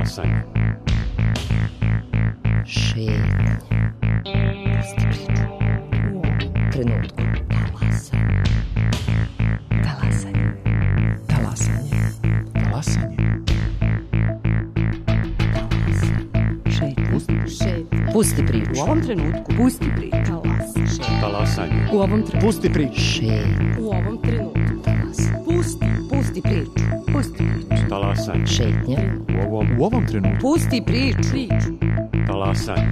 Talasanje. Šetnja. Pusti priču. U trenutku. Talasanje. Talasanje. Talasanje. Šetnja. Pusti priču. U ovom trenutku. Pusti priču. Talasanje. U ovom trenutku. Pusti priču. Šetnja. U ovom trenutku. Pusti priču. Pusti priču. Talasanje. Šetnja. U ovom trenutku. Pusti priču. Talasanje.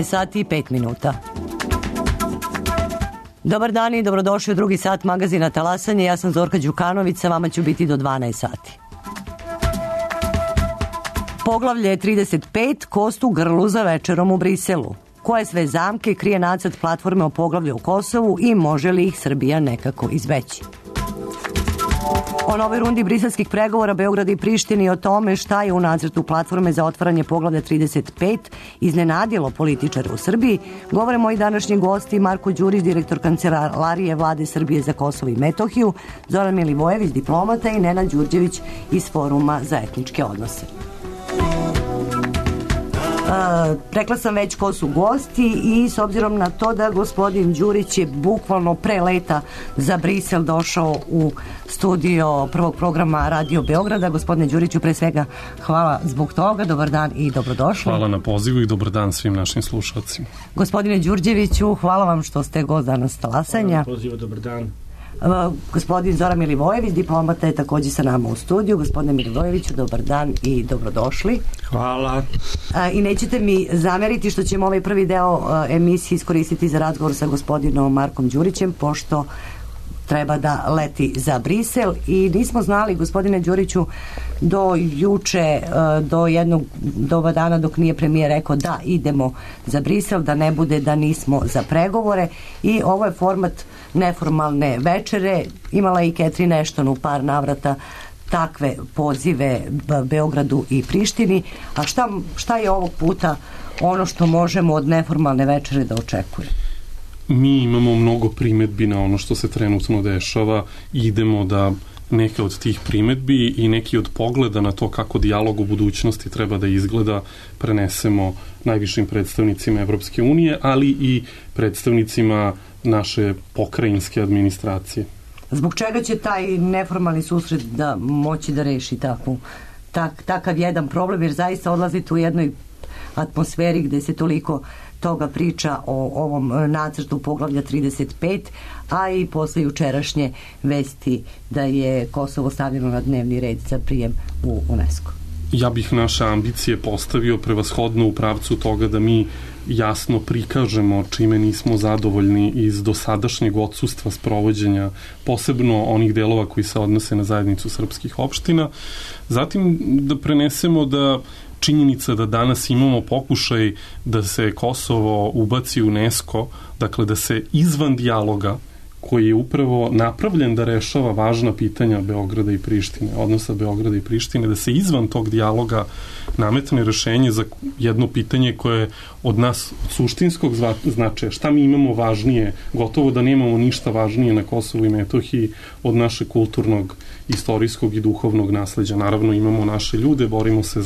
Sati i 5 minuta. Dobar dan i dobrodošli u drugi sat magazina Talasanje. Ja sam Zorka Đukanović, sa vama ću biti do 12 sati. Poglavlje 35, kost u grlu za večerom u Briselu. Koje sve zamke krije nacrt platforme o poglavlju u Kosovu i može li ih Srbija nekako izbeći? O novoj rundi briselskih pregovora Beograda i Prištine i o tome šta je u nacrtu platforme za otvaranje poglavlja 35 iznenadilo političare u Srbiji, govore moji današnji gosti Marko Đurić, direktor Kancelarije Vlade Srbije za Kosovo i Metohiju, Zoran Milivojević, diplomata i Nenad Đurđević iz Foruma za etničke odnose. Rekla sam već ko su gosti i s obzirom na to da gospodin Đurić je bukvalno pre leta za Brisel došao u studio prvog programa Radio Beograda. Gospodine Đuriću, pre svega hvala zbog toga, dobar dan i dobrodošli. Hvala na pozivu i dobar dan svim našim slušalcima. Gospodine Đurđeviću, hvala vam što ste gost danas Talasanja. Hvala na pozivu, dobar dan. Gospodin Zoran Milivojević, diplomata, je također sa nama u studiju. Gospodine Milivojeviću, dobar dan i dobrodošli. Hvala. I nećete mi zameriti što ćemo ovaj prvi deo emisije iskoristiti za razgovor sa gospodinom Markom Đurićem, pošto treba da leti za Brisel i nismo znali, gospodine Đuriću, do juče, do jednog doba dana dok nije premijer rekao da idemo za Brisel, da ne bude da nismo za pregovore, i ovo je format neformalne večere. Imala je i Catherine Ashton u par navrata takve pozive Beogradu i Prištini. A šta je ovog puta ono što možemo od neformalne večere da očekujemo? Mi imamo mnogo primetbi na ono što se trenutno dešava i idemo da neke od tih primetbi i neki od pogleda na to kako dijalog u budućnosti treba da izgleda prenesemo najvišim predstavnicima Evropske unije, ali i predstavnicima naše pokrajinske administracije. Zbog čega će taj neformalni susret da moći da reši takav jedan problem, jer zaista odlazite u jednoj atmosferi gde se toliko toga priča o ovom nacrtu poglavlja 35, a i posle jučerašnje vesti da je Kosovo stavljeno na dnevni red za prijem u UNESCO. Ja bih naše ambicije postavio prevashodno u pravcu toga da mi jasno prikažemo čime nismo zadovoljni iz dosadašnjeg odsustva sprovođenja, posebno onih delova koji se odnose na zajednicu srpskih opština. Zatim da prenesemo da činjenica da danas imamo pokušaj da se Kosovo ubaci u UNESCO, dakle da se izvan dijaloga koji je upravo napravljen da rešava važna pitanja Beograda i Prištine, odnosa Beograda i Prištine, da se izvan tog dijaloga nametne rešenje za jedno pitanje koje je od nas od suštinskog značaja. Šta mi imamo važnije? Gotovo da nemamo ništa važnije na Kosovu i Metohiji od našeg kulturnog, istorijskog i duhovnog nasleđa. Naravno imamo naše ljude, borimo se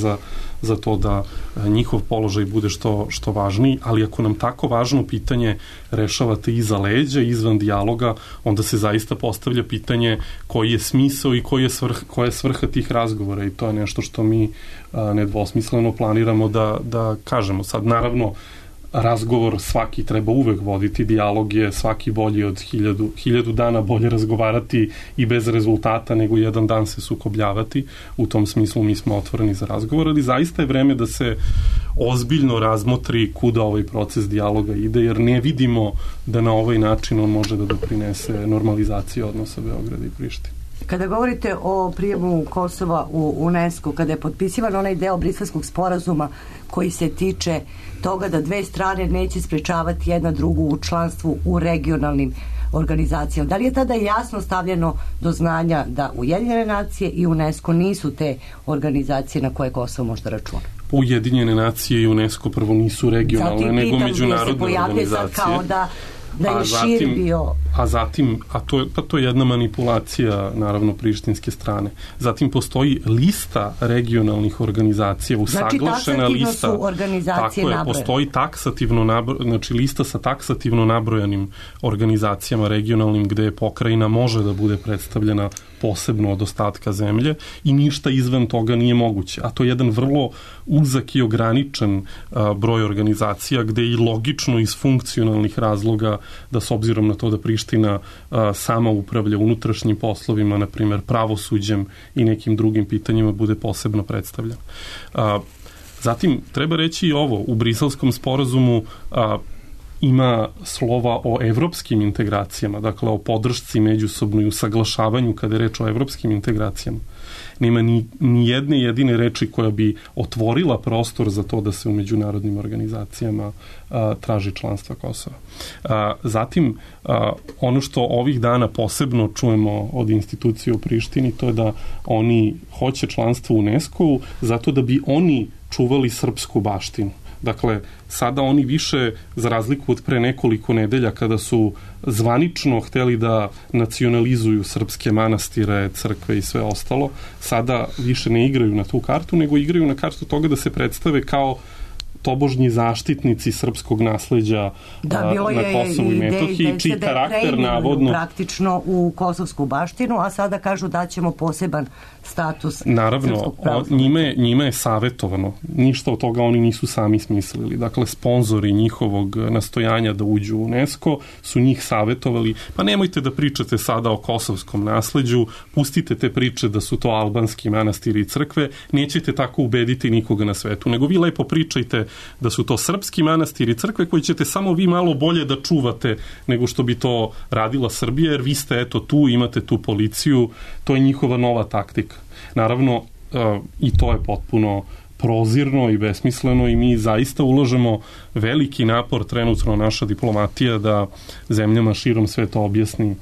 za to da njihov položaj bude što važniji, ali ako nam tako važno pitanje rešavate iza leđa, izvan dijaloga, onda se zaista postavlja pitanje koji je smisao i koja je svrha tih razgovora, i to je nešto što mi nedvosmisleno planiramo da kažemo. Sad, naravno, razgovor svaki treba uvek voditi, dijalog je svaki bolji od 1000 dana, bolje razgovarati i bez rezultata nego jedan dan se sukobljavati. U tom smislu mi smo otvoreni za razgovor, ali zaista je vreme da se ozbiljno razmotri kuda ovaj proces dijaloga ide, jer ne vidimo da na ovaj način on može da doprinese normalizaciji odnosa Beograda i Prištine. Kada govorite o prijemu Kosova u UNESCO, kada je potpisivan onaj deo Briselskog sporazuma koji se tiče toga da dve strane neće sprečavati jedna drugu u članstvu u regionalnim organizacijama, da li je tada jasno stavljeno do znanja da Ujedinjene nacije i UNESCO nisu te organizacije na koje Kosovo može da računa? Ujedinjene nacije i UNESCO prvo nisu regionalne, nego međunarodne organizacije. Kao da je šir bio... To je jedna manipulacija, naravno, prištinske strane. Zatim postoji lista regionalnih organizacija, usaglašena lista. Znači, su organizacije nabrojene. Postoji lista sa taksativno nabrojanim organizacijama regionalnim gde pokrajina može da bude predstavljena posebno od ostatka zemlje i ništa izvan toga nije moguće. A to je jedan vrlo uzak i ograničen broj organizacija gde i logično iz funkcionalnih razloga da s obzirom na to da Priština sama upravlja unutrašnjim poslovima, na primjer pravosuđem i nekim drugim pitanjima bude posebno predstavljen. Zatim, treba reći i ovo, u Briselskom sporazumu ima slova o evropskim integracijama, dakle o podršci međusobnoj usaglašavanju kada je reč o evropskim integracijama. Nema ni jedne jedine reči koja bi otvorila prostor za to da se u međunarodnim organizacijama traži članstva Kosova. Zatim, ono što ovih dana posebno čujemo od institucije u Prištini, to je da oni hoće članstvo u UNESCO-u zato da bi oni čuvali srpsku baštinu. Dakle, sada oni više, za razliku od pre nekoliko nedelja, kada su zvanično hteli da nacionalizuju srpske manastire, crkve i sve ostalo, sada više ne igraju na tu kartu, nego igraju na kartu toga da se predstave kao tobožnji zaštitnici srpskog nasleđa na Kosovu i Metohiji, čiji karakter navodno... praktično u kosovsku baštinu, a sada kažu da ćemo poseban status naravno, njima je savjetovano. Ništa od toga oni nisu sami smislili. Dakle, sponzori njihovog nastojanja da uđu u UNESCO su njih savjetovali, pa nemojte da pričate sada o kosovskom nasleđu, pustite te priče da su to albanski manastiri i crkve, nećete tako ubediti nikoga na svetu, nego vi lepo pričajte da su to srpski manastiri i crkve koji ćete samo vi malo bolje da čuvate nego što bi to radila Srbija, jer vi ste eto tu, imate tu policiju, to je njihova nova taktika. Naravno, i to je potpuno prozirno i besmisleno i mi zaista ulažemo veliki napor trenutno naša diplomatija da zemljama širom sveta objasni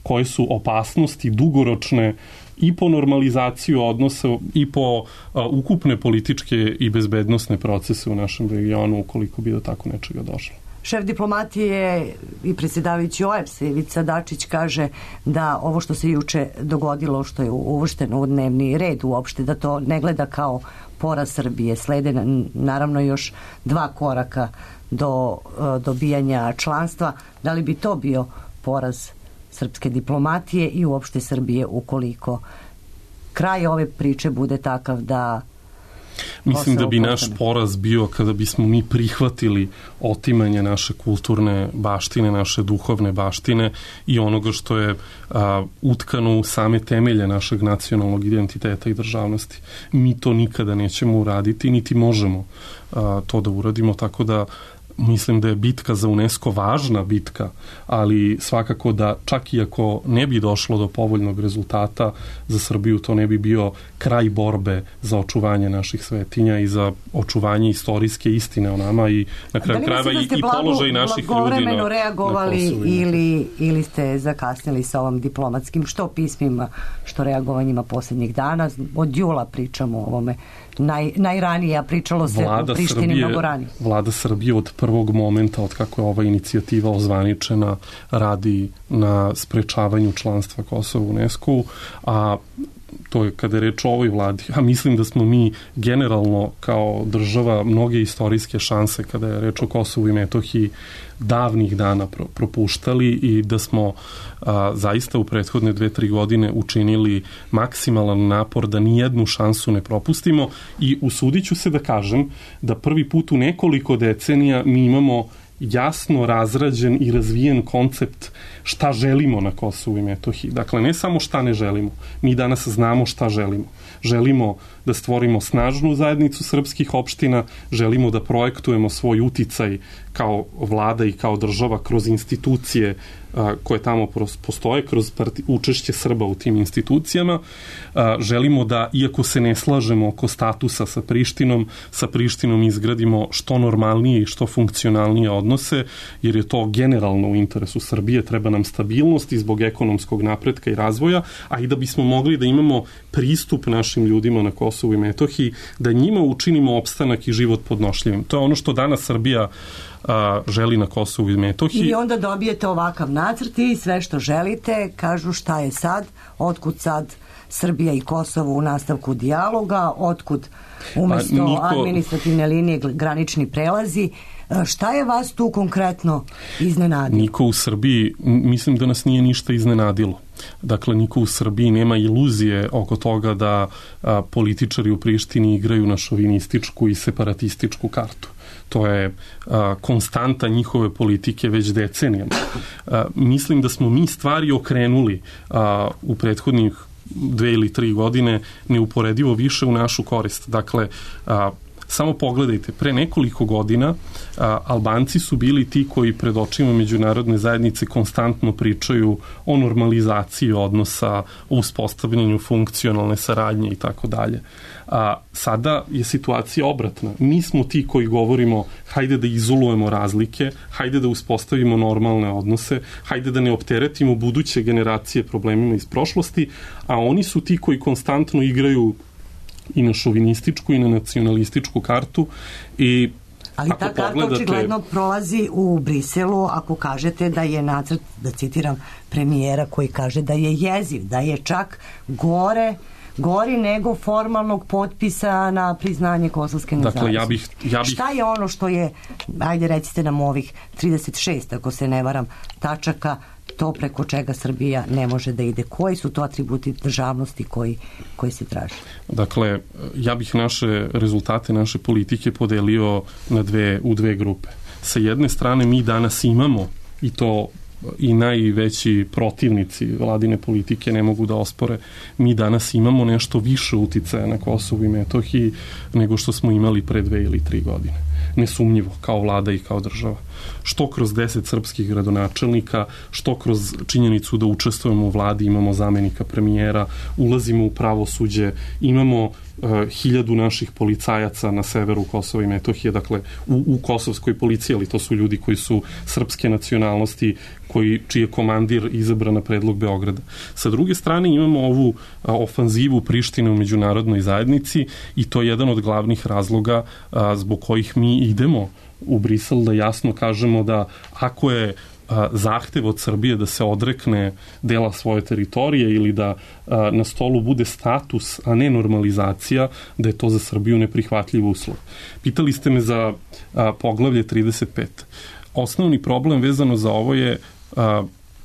koje su opasnosti dugoročne i po normalizaciju odnosa i po ukupne političke i bezbednosne procese u našem regionu ukoliko bi do tako nečega došlo. Šef diplomatije i predsjedavajući OEBS-a Ivica Dačić kaže da ovo što se juče dogodilo, što je uvršteno u dnevni red uopšte, da to ne gleda kao poraz Srbije. Slede naravno još 2 koraka do dobijanja članstva. Da li bi to bio poraz srpske diplomatije i uopšte Srbije ukoliko kraj ove priče bude takav da... Mislim da bi naš poraz bio kada bismo mi prihvatili otimanje naše kulturne baštine, naše duhovne baštine i onoga što je utkano u same temelje našeg nacionalnog identiteta i državnosti. Mi to nikada nećemo uraditi, niti možemo to da uradimo, tako da mislim da je bitka za UNESCO važna bitka, ali svakako da čak i ako ne bi došlo do povoljnog rezultata za Srbiju, to ne bi bio kraj borbe za očuvanje naših svetinja i za očuvanje istorijske istine o nama i na kraju krajeva i položaj naših ljudi na reagovali ili ste zakasnili sa ovom diplomatskim što pismima, što reagovanjima posljednjih dana? Od jula pričamo o ovome. Najranije, a pričalo se u Prištini mnogo ranije. Vlada Srbije od prvog momenta, od kako je ova inicijativa ozvaničena, radi na sprečavanju članstva Kosova u UNESCO-u, a to je kada je reč o ovoj vladi. A mislim da smo mi generalno kao država mnoge istorijske šanse kada je reč o Kosovu i Metohiji davnih dana propuštali i da smo zaista u prethodne 2-3 godine učinili maksimalan napor da nijednu šansu ne propustimo i usudit ću se da kažem da prvi put u nekoliko decenija mi imamo jasno razrađen i razvijen koncept šta želimo na Kosovu i Metohiji. Dakle, ne samo šta ne želimo. Mi danas znamo šta želimo. Želimo da stvorimo snažnu zajednicu srpskih opština, želimo da projektujemo svoj uticaj kao vlada i kao država kroz institucije koje tamo postoje kroz učešće Srba u tim institucijama. Želimo da, iako se ne slažemo oko statusa sa Prištinom izgradimo što normalnije i što funkcionalnije odnose, jer je to generalno u interesu Srbije, treba nam stabilnost i zbog ekonomskog napretka i razvoja, a i da bismo mogli da imamo pristup našim ljudima na Kosovu i Metohiji, da njima učinimo opstanak i život podnošljivim. To je ono što danas Srbija želi na Kosovu i Metohiji. I onda dobijete ovakav nacrt i sve što želite, kažu šta je sad, otkud sad Srbija i Kosovo u nastavku dijaloga, otkud umesto administrativne linije granični prelazi. Šta je vas tu konkretno iznenadilo? Niko u Srbiji, mislim da nas nije ništa iznenadilo. Dakle, niko u Srbiji nema iluzije oko toga da političari u Prištini igraju na šovinističku i separatističku kartu. To je konstanta njihove politike već decenijama. Mislim da smo mi stvari okrenuli u prethodnih 2 ili 3 godine neuporedivo više u našu korist. Dakle, samo pogledajte, pre nekoliko godina Albanci su bili ti koji pred očima međunarodne zajednice konstantno pričaju o normalizaciji odnosa, o uspostavljanju funkcionalne saradnje i tako dalje. Sada je situacija obratna. Mi smo ti koji govorimo hajde da izolujemo razlike, hajde da uspostavimo normalne odnose, hajde da ne opteretimo buduće generacije problemima iz prošlosti, a oni su ti koji konstantno igraju i na šovinističku i na nacionalističku kartu. Ali ta karta očigledno prolazi u Briselu ako kažete da je nacrt, da citiram premijera koji kaže da je jeziv, da je čak gori nego formalnog potpisa na priznanje kosovske nezavisnosti. Dakle, Šta je ono što je, ajde recite nam ovih 36, ako se ne varam, tačaka, to preko čega Srbija ne može da ide? Koji su to atributi državnosti koji se traže? Dakle, ja bih naše rezultate, naše politike podelio u dve grupe. Sa jedne strane mi danas imamo, i to i najveći protivnici vladine politike ne mogu da ospore, mi danas imamo nešto više uticaja na Kosovu i Metohiji nego što smo imali pre 2 ili 3 godine. Nesumnjivo, kao vlada i kao država. Što kroz 10 srpskih gradonačelnika, što kroz činjenicu da učestvujemo u vladi, imamo zamenika premijera, ulazimo u pravosuđe, imamo 1000 naših policajaca na severu Kosova i Metohije, dakle u kosovskoj policiji, ali to su ljudi koji su srpske nacionalnosti, čiji je komandir izabran na predlog Beograda. Sa druge strane imamo ovu ofanzivu Prištine u međunarodnoj zajednici i to je jedan od glavnih razloga zbog kojih mi idemo u Brisel, da jasno kažemo da ako je zahtev od Srbije da se odrekne dela svoje teritorije ili da na stolu bude status, a ne normalizacija, da je to za Srbiju neprihvatljiv uslov. Pitali ste me za poglavlje 35. Osnovni problem vezano za ovo je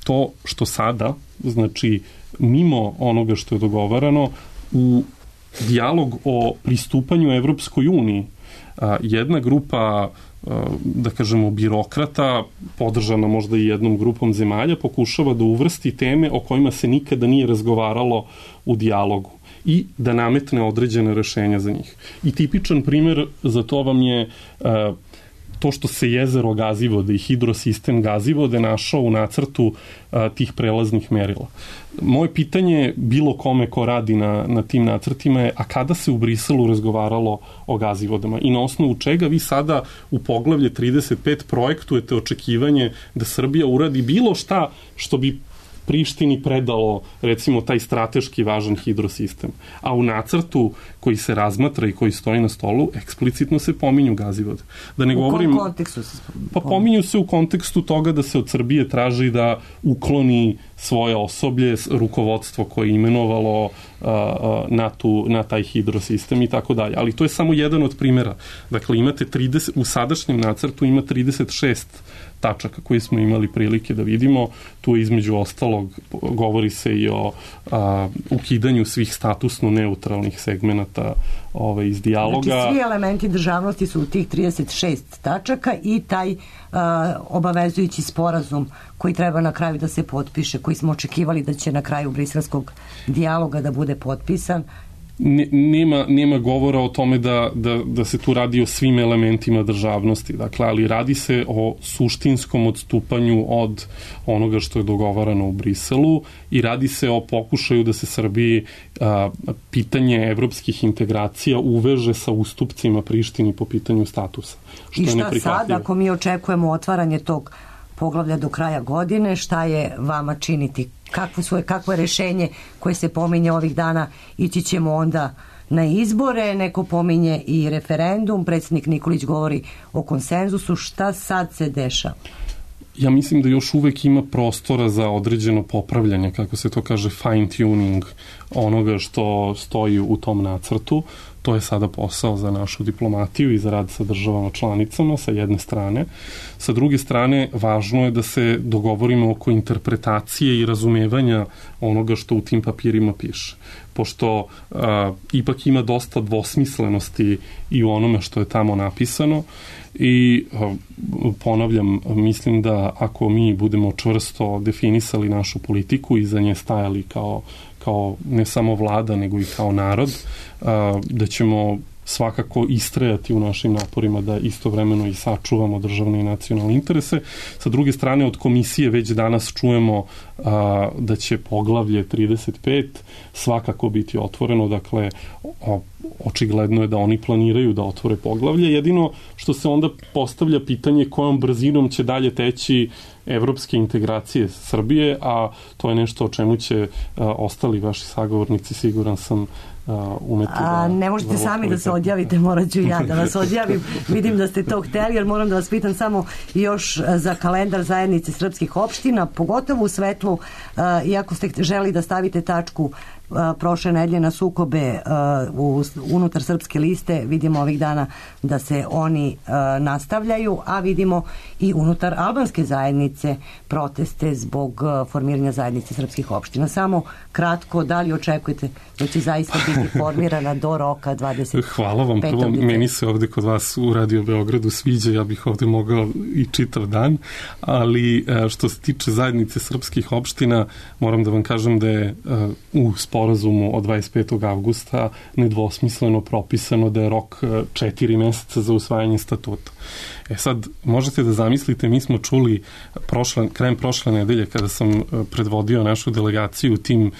to što sada, znači mimo onoga što je dogovarano, u dijalog o pristupanju Evropskoj uniji jedna grupa, da kažemo, birokrata, podržana možda i jednom grupom zemalja, pokušava da uvrsti teme o kojima se nikada nije razgovaralo u dijalogu i da nametne određene rešenja za njih. I tipičan primer za to vam je to što se jezero Gazivode i hidrosistem Gazivode našao u nacrtu tih prelaznih merila. Moje pitanje bilo kome ko radi na tim nacrtima je, a kada se u Briselu razgovaralo o Gazivodama i na osnovu čega vi sada u poglavlje 35 projektujete očekivanje da Srbija uradi bilo šta što bi Prištini predalo, recimo, taj strateški važan hidrosistem. A u nacrtu koji se razmatra i koji stoji na stolu, eksplicitno se pominju Gazivode. Da ne govorim, u kom kontekstu se pominju? Pa pominju se u kontekstu toga da se od Srbije traži da ukloni svoje osoblje, rukovodstvo koje je imenovalo na taj hidrosistem i tako dalje. Ali to je samo jedan od primjera. Dakle, imate u sadašnjem nacrtu ima 36 tačaka koje smo imali prilike da vidimo. Tu između ostalog govori se i o ukidanju svih statusno neutralnih segmenata iz dijaloga. Znači, svi elementi državnosti su u tih 36 tačaka i taj obavezujući sporazum koji treba na kraju da se potpiše, koji smo očekivali da će na kraju briselskog dijaloga da bude potpisan, nema govora o tome da se tu radi o svim elementima državnosti, dakle, ali radi se o suštinskom odstupanju od onoga što je dogovarano u Briselu i radi se o pokušaju da se Srbiji pitanje evropskih integracija uveže sa ustupcima Prištini po pitanju statusa. I šta sad, ako mi očekujemo otvaranje tog poglavlja do kraja godine, šta je vama činiti? Kakvo je rešenje koje se pominje ovih dana? Ići ćemo onda na izbore, neko pominje i referendum, predsjednik Nikolić govori o konsenzusu. Šta sad se dešava? Ja mislim da još uvek ima prostora za određeno popravljanje, kako se to kaže, fine tuning onoga što stoji u tom nacrtu. To je sada posao za našu diplomatiju i za rad sa državama članicama, sa jedne strane. Sa druge strane, važno je da se dogovorimo oko interpretacije i razumevanja onoga što u tim papirima piše. Pošto ipak ima dosta dvosmislenosti i u onome što je tamo napisano i ponavljam, mislim da ako mi budemo čvrsto definisali našu politiku i za nje stajali kao ne samo vlada, nego i kao narod, da ćemo svakako istrajati u našim naporima da istovremeno i sačuvamo državne i nacionalne interese. Sa druge strane, od komisije već danas čujemo da će poglavlje 35 svakako biti otvoreno, dakle, očigledno je da oni planiraju da otvore poglavlje. Jedino što se onda postavlja pitanje kojom brzinom će dalje teći evropske integracije Srbije, a to je nešto o čemu će ostali vaši sagovornici, siguran sam, umeti da... Ne možete sami da se odjavite, morat ću ja da vas odjavim. Vidim da ste to hteli, jer moram da vas pitam samo još za kalendar zajednice srpskih opština, pogotovo u svetlu, iako ste želi da stavite tačku prošle nedelje na sukobe unutar Srpske liste, vidimo ovih dana da se oni nastavljaju, a vidimo i unutar albanske zajednice proteste zbog formiranja zajednice srpskih opština. Samo kratko, da li očekujete da će zaista biti formirana do roka 25. Hvala vam. Prvo, meni se ovde kod vas u Radio Beogradu sviđa, ja bih ovde mogao i čitav dan, ali što se tiče zajednice srpskih opština, moram da vam kažem da je u sporazumu od 25. avgusta nedvosmisleno propisano da je rok 4 meseca za usvajanje statuta. Sad, možete da zamislite, mi smo čuli krajem prošle nedelje kada sam predvodio našu delegaciju tim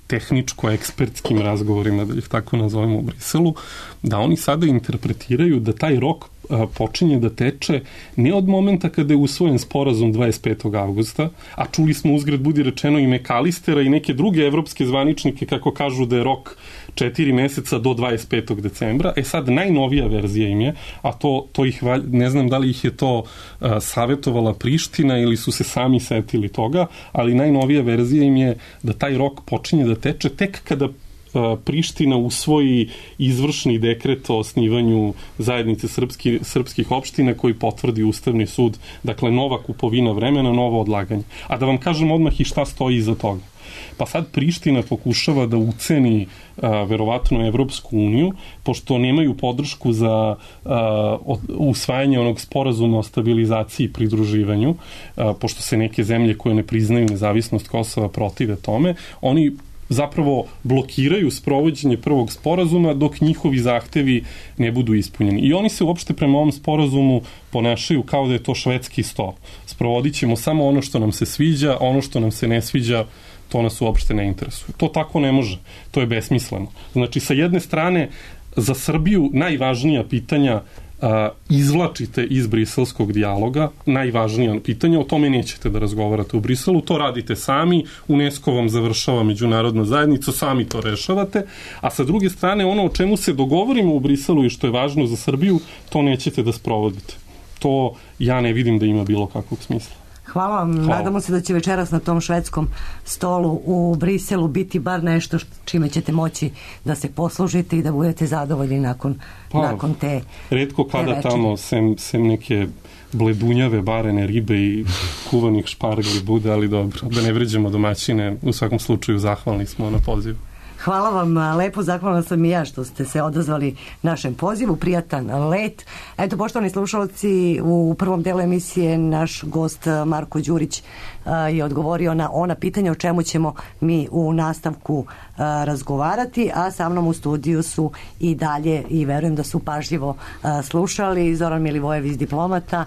tehničko-ekspertskim razgovorima, da ih tako nazovemo, u Briselu, da oni sada interpretiraju da taj rok počinje da teče ne od momenta kada je usvojen sporazum 25. avgusta, a čuli smo uzgred budi rečeno i Mekalistera i neke druge evropske zvaničnike kako kažu da je rok 4 meseca do 25. decembra. Sad najnovija verzija im je, a to ih, ne znam da li ih je to savjetovala Priština ili su se sami setili toga, ali najnovija verzija im je da taj rok počinje da teče tek kada Priština usvoji izvršni dekret o osnivanju zajednice srpskih opština koji potvrdi Ustavni sud. Dakle, nova kupovina vremena, novo odlaganje. A da vam kažem odmah i šta stoji iza toga. Pa sad Priština pokušava da uceni verovatno Evropsku uniju, pošto nemaju podršku za usvajanje onog sporazuma o stabilizaciji i pridruživanju, pošto se neke zemlje koje ne priznaju nezavisnost Kosova protive tome, oni zapravo blokiraju sprovođenje prvog sporazuma dok njihovi zahtevi ne budu ispunjeni. I oni se uopšte prema ovom sporazumu ponašaju kao da je to švedski sto. Sprovodit ćemo samo ono što nam se sviđa, ono što nam se ne sviđa, to nas uopšte ne interesuje. To tako ne može. To je besmisleno. Znači, sa jedne strane, za Srbiju najvažnija pitanja izvlačite iz briselskog dijaloga, najvažnija pitanja, o tome nećete da razgovarate u Briselu, to radite sami, UNESCO vam završava međunarodna zajednica, sami to rešavate, a sa druge strane ono o čemu se dogovorimo u Briselu i što je važno za Srbiju, to nećete da sprovodite. To ja ne vidim da ima bilo kakvog smisla. Hvala vam. Nadamo se da će večeras na tom švedskom stolu u Briselu biti bar nešto čime ćete moći da se poslužite i da budete zadovoljni nakon te retko kada tamo sem neke bledunjave, barene ribe i kuvanih špargli bude, ali dobro, da ne vređamo domaćine, u svakom slučaju zahvalni smo na pozivu. Hvala vam lepo, zahvalna sam i ja što ste se odazvali našem pozivu, prijatan let. Eto, poštovani slušalci, u prvom delu emisije naš gost Marko Đurić je odgovorio na ona pitanja o čemu ćemo mi u nastavku razgovarati, a sa mnom u studiju su i dalje, i verujem da su pažljivo slušali, Zoran Milivojević, diplomata,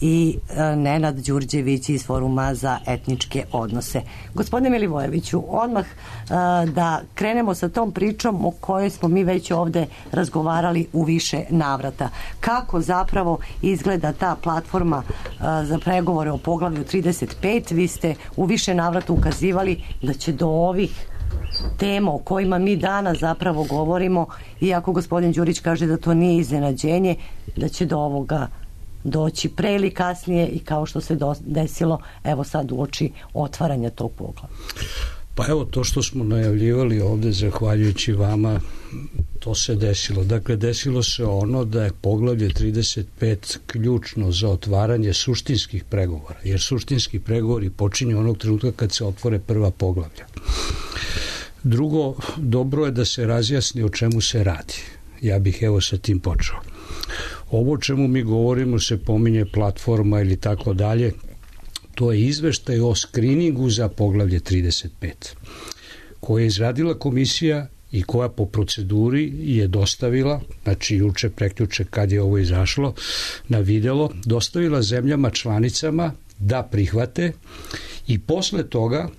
i Nenad Đurđević iz Foruma za etničke odnose. Gospodine Milivojeviću, odmah da krenemo sa tom pričom o kojoj smo mi već ovde razgovarali u više navrata. Kako zapravo izgleda ta platforma za pregovore o poglavlju 35? Vi ste u više navrata ukazivali da će do ovih tema o kojima mi danas zapravo govorimo, iako gospodin Đurić kaže da to nije iznenađenje, da će do ovoga doći pre ili kasnije, i kao što se desilo evo sad uoči otvaranja tog poglavlja. Pa evo, to što smo najavljivali ovde, zahvaljujući vama, to se desilo. Dakle, desilo se ono da je poglavlje 35 ključno za otvaranje suštinskih pregovora, jer suštinski pregovori počinju onog trenutka kad se otvore prva poglavlja. Drugo, dobro je da se razjasni o čemu se radi. Ja bih evo sa tim počeo. Ovo o čemu mi govorimo se pominje platforma ili tako dalje, to je izveštaj o skriningu za poglavlje 35, koje je izradila komisija i koja po proceduri je dostavila, znači juče, prekjuče kad je ovo izašlo na videlo, dostavila zemljama članicama da prihvate, i posle toga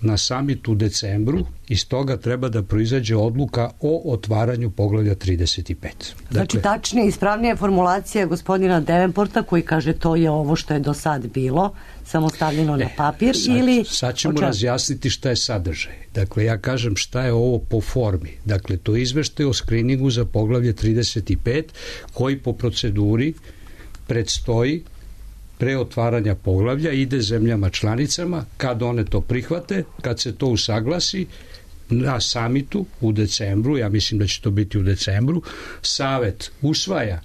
na samitu u decembru iz toga treba da proizađe odluka o otvaranju poglavlja 35. Znači, tačnije, ispravnija formulacija gospodina Devenporta koji kaže to je ovo što je do sad bilo, samo stavljeno na papir, ili... Sad ćemo razjasniti šta je sadržaj. Dakle, ja kažem šta je ovo po formi. Dakle, to je izveštaj o skriningu za poglavlje 35 koji po proceduri predstoji pre otvaranja poglavlja, ide zemljama članicama, kad one to prihvate, kad se to usaglasi na samitu u decembru, ja mislim da će to biti u decembru, Savet usvaja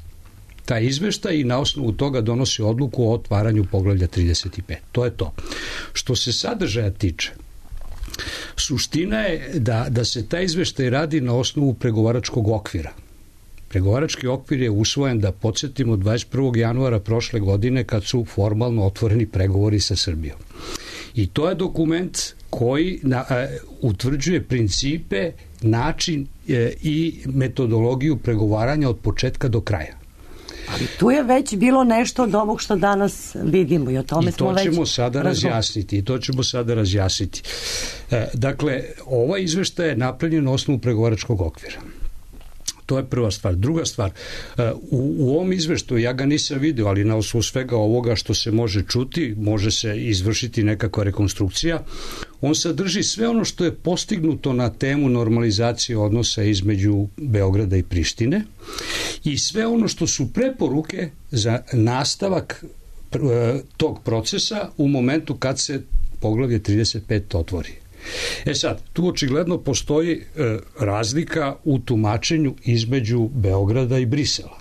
taj izveštaj i na osnovu toga donosi odluku o otvaranju poglavlja 35. To je to. Što se sadržaja tiče, suština je da se taj izveštaj radi na osnovu pregovaračkog okvira. Pregovarački okvir je usvojen, da podsjetimo, 21. januara prošle godine kad su formalno otvoreni pregovori sa Srbijom. I to je dokument koji utvrđuje principe, način i metodologiju pregovaranja od početka do kraja. Ali tu je već bilo nešto od ovog što danas vidimo i o tome smo već... I to ćemo sada razjasniti. Dakle, ovaj izveštaj je napravljen na osnovu pregovaračkog okvira. To je prva stvar. Druga stvar, u ovom izveštaju, ja ga nisam vidio, ali na osnovu svega ovoga što se može čuti, može se izvršiti nekakva rekonstrukcija, on sadrži sve ono što je postignuto na temu normalizacije odnosa između Beograda i Prištine i sve ono što su preporuke za nastavak tog procesa u momentu kad se poglavlje 35 otvori. E sad, tu očigledno postoji razlika u tumačenju između Beograda i Brisela.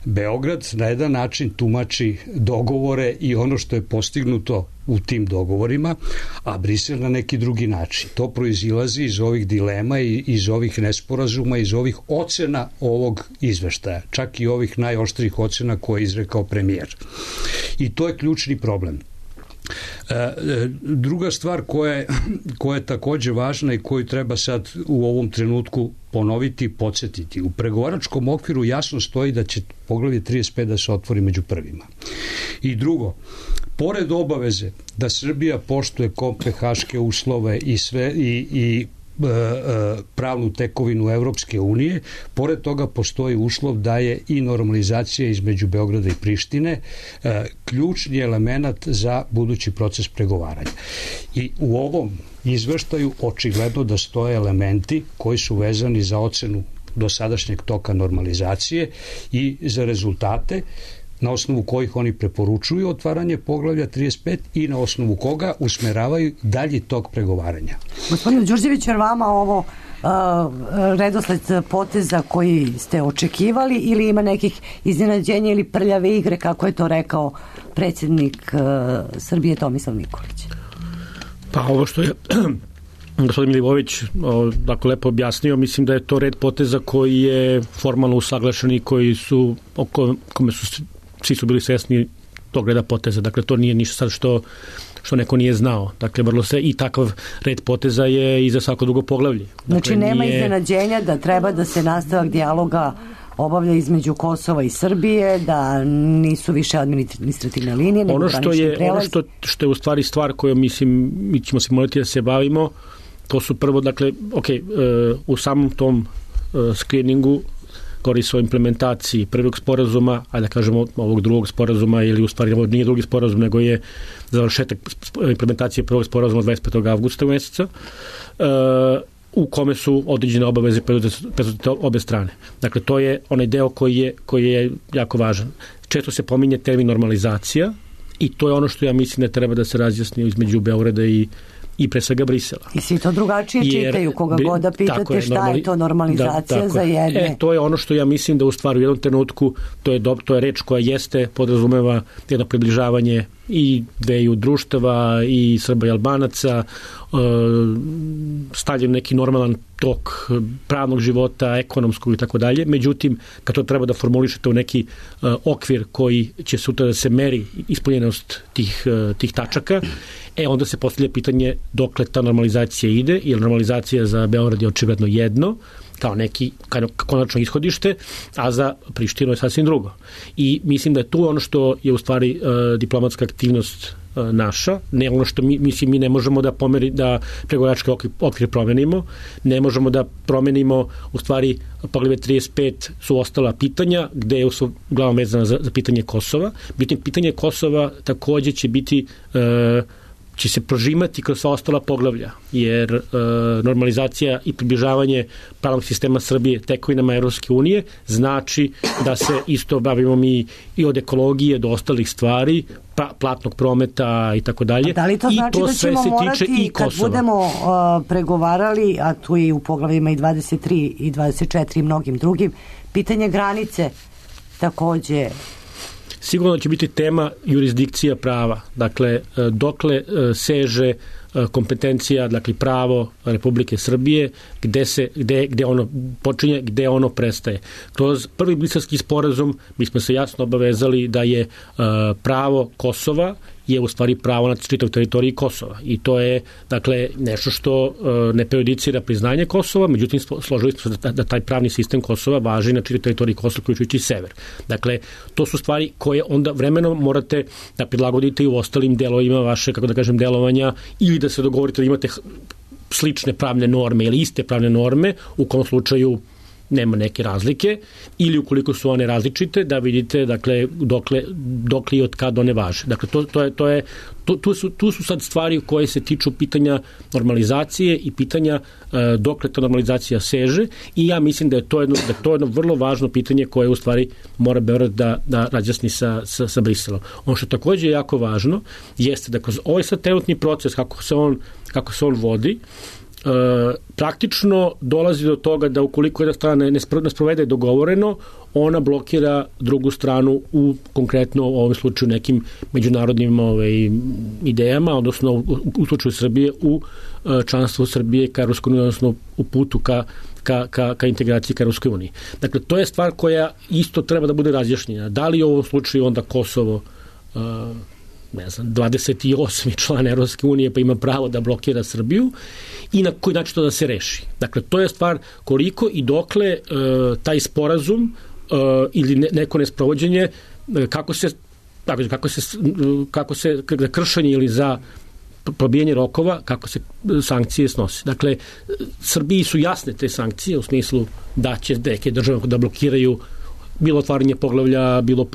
Beograd na jedan način tumači dogovore i ono što je postignuto u tim dogovorima, a Brisel na neki drugi način. To proizilazi iz ovih dilema i iz ovih nesporazuma, iz ovih ocena ovog izveštaja, čak i ovih najoštrijih ocena koje je izrekao premijer. I to je ključni problem. Druga stvar koja je takođe važna i koju treba sad u ovom trenutku ponoviti i podsjetiti. U pregovaračkom okviru jasno stoji da će poglavlje 35 da se otvori među prvima. I drugo, pored obaveze da Srbija poštuje kopenhaške uslove i sve i pravnu tekovinu Evropske unije, pored toga postoji uslov da je i normalizacija između Beograda i Prištine ključni element za budući proces pregovaranja. I u ovom izveštaju očigledno da stoje elementi koji su vezani za ocenu dosadašnjeg toka normalizacije i za rezultate na osnovu kojih oni preporučuju otvaranje poglavlja 35 i na osnovu koga usmeravaju dalji tok pregovaranja. Gospodine Đurđević, jer vama ovo redosled poteza koji ste očekivali ili ima nekih iznenađenja ili prljave igre, kako je to rekao predsjednik Srbije Tomislav Nikolić? Pa ovo što je gospodin Milivojević dakle lepo objasnio, mislim da je to red poteza koji je formalno usaglašen i koji su, kome su svi su bili svesni tog reda poteza. Dakle, to nije ništa sad što neko nije znao. Dakle, vrlo se i takav red poteza je i za svako drugo poglavlje. Dakle, znači, nema iznenađenja da treba da se nastavak dijaloga obavlja između Kosova i Srbije, da nisu više administrativne linije, nego granični prelaz. Ono što je u stvari stvar koju mislim, mi ćemo se morati da se bavimo, to su prvo, dakle, u samom tom screeningu govori se o implementaciji prvog sporazuma, a da kažemo ovog drugog sporazuma, ili u stvari ovo nije drugi sporazum, nego je završetak implementacije prvog sporazuma 25. avgusta meseca, u kome su određene obaveze preuzete obe strane. Dakle, to je onaj deo koji je jako važan. Često se pominje termin normalizacija i to je ono što ja mislim da treba da se razjasni između Beograda i pre svega Brisela. I svi to drugačije čitaju, koga god da pitate šta je to normalizacija za jedne. To je ono što ja mislim da u stvari u jednom trenutku to je reč koja jeste podrazumeva jedno približavanje i dveju društava i Srba i Albanaca, stavljen neki normalan tok pravnog života, ekonomskog i tako dalje. Međutim, kad to treba da formulišete u neki okvir koji će sutra da se meri ispunjenost tih tačaka, onda se postavlja pitanje dokle ta normalizacija ide, jer normalizacija za Beograd je očigledno jedno, kao neki konačno ishodište, a za Prištinu je sasvim drugo. I mislim da je tu ono što je u stvari diplomatska aktivnost naša, ne ono što mi ne možemo da pregovarački okvir promenimo, ne možemo da promenimo u stvari poglavlje 35 su ostala pitanja gde su uglavnom vezana za pitanje Kosova. Pitanje Kosova takođe će se prožimati kroz sva ostala poglavlja, jer normalizacija i približavanje pravnog sistema Srbije tekovinama Evropske unije znači da se isto bavimo mi i od ekologije do ostalih stvari, platnog prometa i tako dalje. Da li to znači da ćemo morati, kad budemo pregovarali, a tu je u poglavljima i 23 i 24 i mnogim drugim, pitanje granice takođe? Sigurno će biti tema jurisdikcija prava. Dakle, dokle seže kompetencija, dakle pravo Republike Srbije, gde ono počinje, gde ono prestaje. Kroz prvi Briselski sporazum mi smo se jasno obavezali da je pravo Kosova je u stvari pravo na čitav teritoriji Kosova. I to je, dakle, nešto što ne prejudicira priznanje Kosova, međutim, složili smo se da taj pravni sistem Kosova važi na čitav teritoriji Kosova, uključujući sever. Dakle, to su stvari koje onda vremenom morate da prilagodite i u ostalim delovima vaše, kako da kažem, delovanja, ili da se dogovorite da imate slične pravne norme ili iste pravne norme, u kom slučaju nema neke razlike, ili ukoliko su one različite, da vidite, dakle, dokle i od kada one važe. Dakle, tu su sad stvari koje se tiču pitanja normalizacije i pitanja dokle ta normalizacija seže, i ja mislim da je to jedno vrlo važno pitanje koje u stvari mora Beograd da razjasni sa Briselom. Ono što takođe je jako važno jeste da kroz ovaj sad trenutni proces, kako se on vodi, praktično dolazi do toga da ukoliko jedna strana ne sprovede dogovoreno, ona blokira drugu stranu u konkretno u ovom slučaju nekim međunarodnim idejama, odnosno u slučaju Srbije u članstvu Srbije ka Evropskoj uniji, odnosno u putu ka integraciji ka Evropskoj uniji. Dakle, to je stvar koja isto treba da bude razjašnjena. Da li u ovom slučaju onda Kosovo 28. član Evropske unije pa ima pravo da blokira Srbiju i na koji način to da se reši. Dakle, to je stvar koliko i dokle taj sporazum ili neko nesprovođenje, kako se kršenje ili za probijanje rokova, kako se sankcije snose. Dakle, Srbiji su jasne te sankcije u smislu da će neke države da blokiraju bilo otvaranje poglavlja, bilo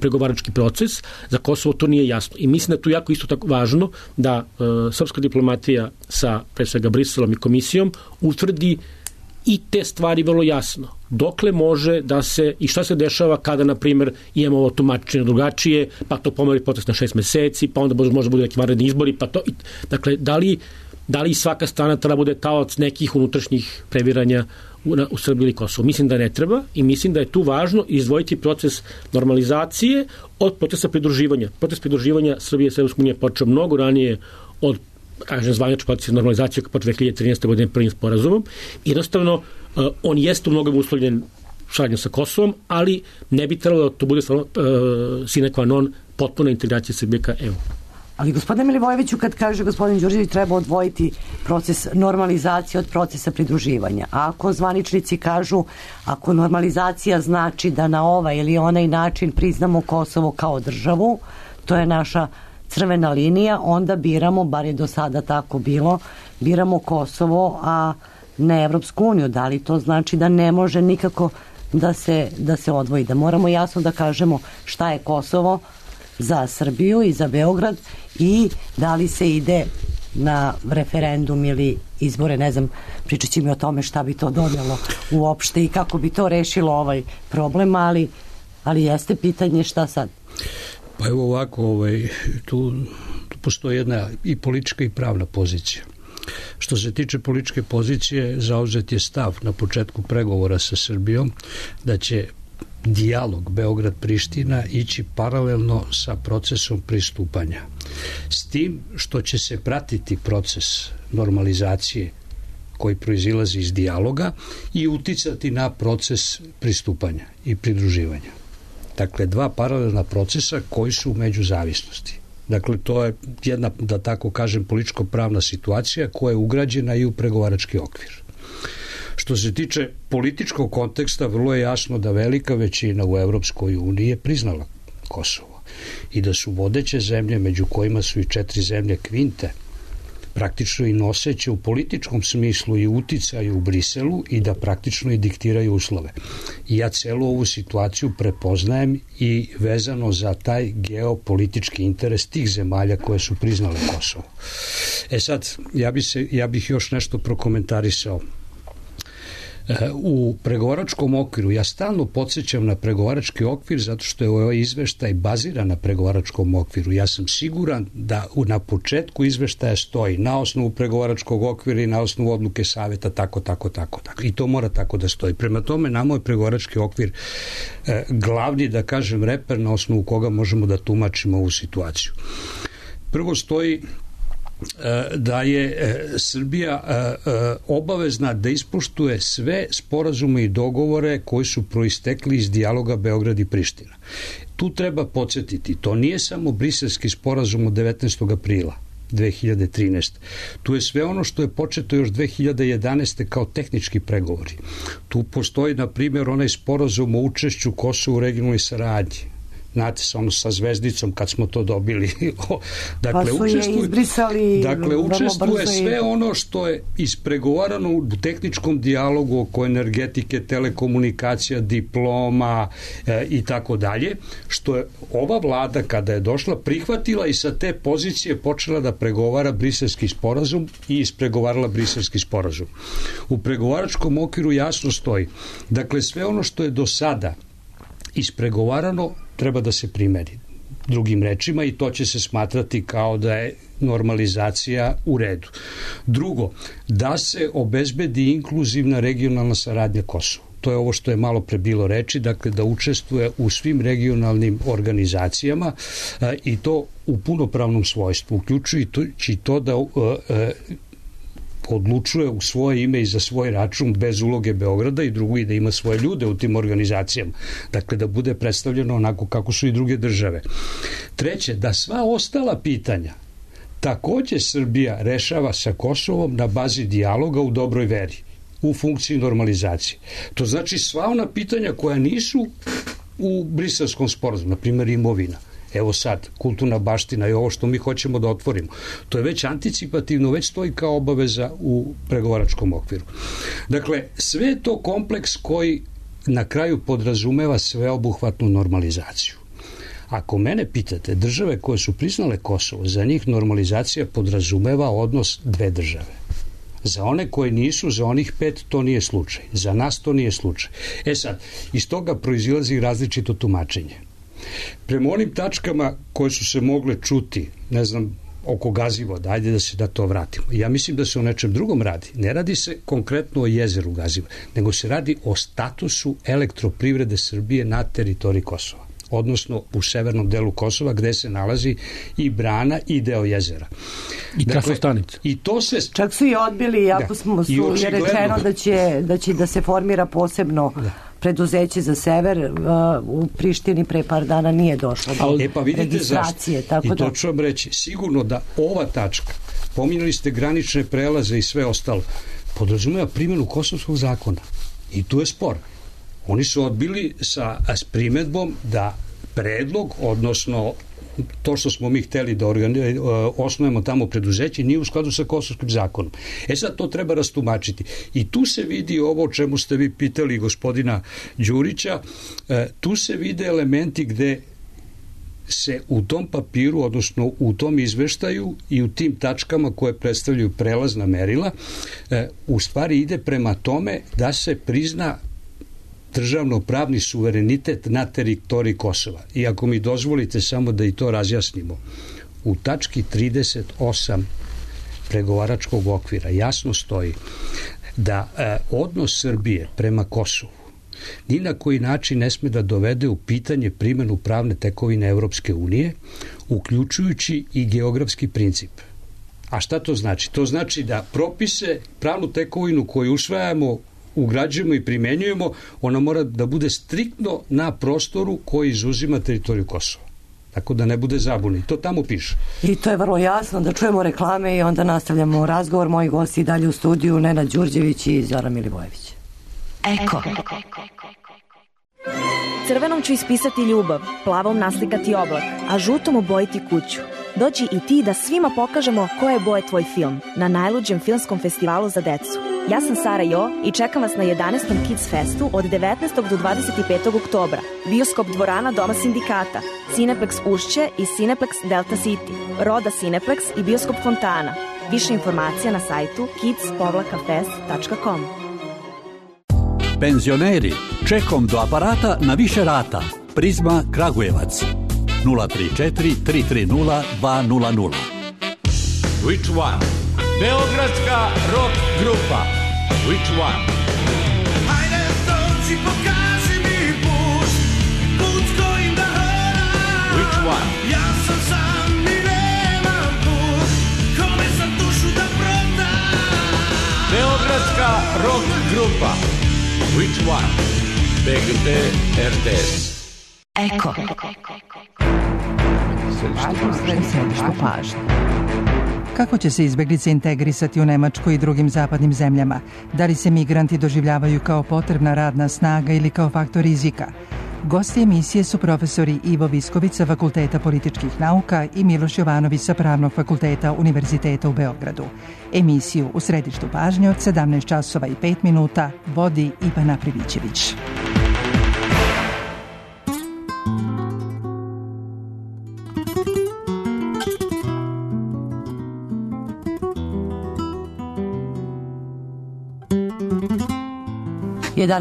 pregovarački proces. Za Kosovo to nije jasno. I mislim da je tu jako isto tako važno da srpska diplomatija sa pre svega Briselom i komisijom utvrdi i te stvari vrlo jasno. Dokle može da se, i šta se dešava kada, na primjer, imamo ovo tumačenje drugačije, pa to pomeri proces na 6 meseci, pa onda može bude neki vanredni izbori, pa to. Dakle, da li svaka strana treba bude taoc nekih unutrašnjih previranja u Srbiji ili Kosovo? Mislim da ne treba i mislim da je tu važno izdvojiti proces normalizacije od procesa pridruživanja. Proces pridruživanja Srbije sa Evropskom unijom počeo mnogo ranije od kažem, zvanični proces normalizacije po 2013. godine prvim sporazumom. Jednostavno, on jeste u mnogom uslovljen saradnjom sa Kosovom, ali ne bi trebalo da to bude stvarno sine qua non potpuna integracija Srbije ka EU. Ali gospodine Milivojeviću, kad kaže gospodin Đurđević, treba odvojiti proces normalizacije od procesa pridruživanja. A ako zvaničnici kažu, ako normalizacija znači da na ovaj ili onaj način priznamo Kosovo kao državu, to je naša crvena linija, onda biramo, bar je do sada tako bilo, biramo Kosovo, a ne Evropsku uniju. Da li to znači da ne može nikako da se odvoji? Da moramo jasno da kažemo šta je Kosovo za Srbiju i za Beograd i da li se ide na referendum ili izbore, ne znam, pričat ćemo o tome šta bi to donelo uopšte i kako bi to rešilo ovaj problem, ali jeste pitanje šta sad? Pa evo ovako, tu postoji jedna i politička i pravna pozicija. Što se tiče političke pozicije, zauzet je stav na početku pregovora sa Srbijom da će dijalog Beograd-Priština ići paralelno sa procesom pristupanja. S tim što će se pratiti proces normalizacije koji proizilazi iz dijaloga i uticati na proces pristupanja i pridruživanja. Dakle, dva paralelna procesa koji su u međuzavisnosti. Dakle, to je jedna, da tako kažem, političko-pravna situacija koja je ugrađena i u pregovarački okvir. Što se tiče političkog konteksta, vrlo je jasno da velika većina u Evropskoj uniji je priznala Kosovo i da su vodeće zemlje, među kojima su i 4 zemlje kvinte, praktično i noseće u političkom smislu i uticaju u Briselu i da praktično i diktiraju uslove. I ja celu ovu situaciju prepoznajem i vezano za taj geopolitički interes tih zemalja koje su priznale Kosovo. Sad, ja bih još nešto prokomentarisao. U pregovaračkom okviru, ja stalno podsjećam na pregovarački okvir zato što je ovaj izveštaj baziran na pregovaračkom okviru. Ja sam siguran da na početku izveštaja stoji na osnovu pregovaračkog okvira i na osnovu odluke saveta tako. I to mora tako da stoji. Prema tome, nama je pregovarački okvir glavni, da kažem, reper na osnovu koga možemo da tumačimo ovu situaciju. Prvo stoji da je Srbija obavezna da ispoštuje sve sporazume i dogovore koji su proistekli iz dijaloga Beograd i Priština. Tu treba podsjetiti, to nije samo briselski sporazum od 19. aprila 2013. Tu je sve ono što je početo još 2011. kao tehnički pregovori. Tu postoji, na primjer, onaj sporazum o učešću Kosova u regionalnoj saradnji. Znate, sa zvezdicom kad smo to dobili. Dakle, pa su je izbrisali. Dakle, učestvuje sve ono što je ispregovarano u tehničkom dijalogu oko energetike, telekomunikacija, diploma i tako dalje, što je ova vlada kada je došla prihvatila i sa te pozicije počela da pregovara briselski sporazum i ispregovarala briselski sporazum. U pregovaračkom okviru jasno stoji. Dakle, sve ono što je do sada ispregovarano treba da se primeni. Drugim rečima, i to će se smatrati kao da je normalizacija u redu. Drugo, da se obezbedi inkluzivna regionalna saradnja Kosova. To je ovo što je malo pre bilo reči, dakle da učestvuje u svim regionalnim organizacijama i to u punopravnom svojstvu, uključujući to da odlučuje u svoje ime i za svoj račun bez uloge Beograda i drugo i da ima svoje ljude u tim organizacijama. Dakle, da bude predstavljeno onako kako su i druge države. Treće, da sva ostala pitanja takođe Srbija rešava sa Kosovom na bazi dijaloga u dobroj veri, u funkciji normalizacije. To znači sva ona pitanja koja nisu u briselskom sporazumu, na primjer imovina. Evo sad, kulturna baština i ovo što mi hoćemo da otvorimo. To je već anticipativno, već stoji kao obaveza u pregovaračkom okviru. Dakle, sve je to kompleks koji na kraju podrazumeva sveobuhvatnu normalizaciju. Ako mene pitate, države koje su priznale Kosovo, za njih normalizacija podrazumeva odnos dve države. Za one koje nisu, za onih 5 to nije slučaj. Za nas to nije slučaj. Sad, iz toga proizilazi različito tumačenje. Prema onim tačkama koje su se mogle čuti, ne znam, oko Gazivoda, ajde da se da to vratimo. Ja mislim da se o nečem drugom radi. Ne radi se konkretno o jezeru Gazivod, nego se radi o statusu elektroprivrede Srbije na teritoriji Kosova. odnosno u severnom delu Kosova, gde se nalazi i brana i deo jezera. I trafostanica. I to se... Čak su i odbili, ako je rečeno da će da se formira posebno preduzeće za sever, u Prištini pre par dana nije došlo do registracije. I to ću vam reći, sigurno da ova tačka, pominjali ste granične prelaze i sve ostalo, podrazumeva primjenu kosovskog zakona. I tu je spor. Oni su odbili s primedbom da predlog, odnosno to što smo mi hteli da osnujemo tamo preduzeće, nije u skladu sa kosovskim zakonom. Sad to treba rastumačiti. I tu se vidi ovo o čemu ste vi pitali gospodina Đurića, tu se vide elementi gde se u tom papiru, odnosno u tom izveštaju i u tim tačkama koje predstavljaju prelazna merila, u stvari ide prema tome da se prizna državno-pravni suverenitet na teritoriji Kosova. I ako mi dozvolite samo da i to razjasnimo, u tački 38 pregovaračkog okvira jasno stoji da odnos Srbije prema Kosovu ni na koji način ne sme da dovede u pitanje primjenu pravne tekovine Evropske unije, uključujući i geografski princip. A šta to znači? To znači da propise, pravnu tekovinu koju usvajamo, ugrađujemo i primenjujemo, ona mora da bude striktno na prostoru koji izuzima teritoriju Kosova. Tako da ne bude zabune. To tamo piše. I to je vrlo jasno, da čujemo reklame i onda nastavljamo razgovor. Moji gosti i dalje u studiju, Nenad Đurđević i Zoran Milivojević. Eko. Crvenom ću ispisati ljubav, plavom naslikati oblak, a žutom obojiti kuću. Dođi i ti da svima pokažemo koje boje tvoj film na najluđem filmskom festivalu za decu. Ja sam Sara Jo i čekam vas na 11. Kids Festu od 19. do 25. oktobra. Bioskop dvorana Doma sindikata, Cineplex Ušće i Cineplex Delta City, Roda Cineplex i Bioskop Fontana. Više informacija na sajtu kids-fest.com. Penzioneri, čekom do aparata na više rata. Prizma Kragujevac 034 330 200. Which one? Beogradska rock grupa. Which one? Hajde dođi, pokaži mi put s kojim da hodam. Which one? Ja sam sam i nemam put, kome sam dušu da prodam. Beogradska rock grupa. Which one? BGT RTS. Eko. Središtu pažnje. Kako će se izbeglice integrisati u Nemačku i drugim zapadnim zemljama? Da li se migranti doživljavaju kao potrebna radna snaga ili kao faktor rizika? Gosti emisije su profesori Ivo Visković sa Fakulteta političkih nauka i Miloš Jovanović sa Pravnog fakulteta Univerziteta u Beogradu. Emisiju u središtu pažnje od 17 časova i 5 minuta vodi Ivana Privićević.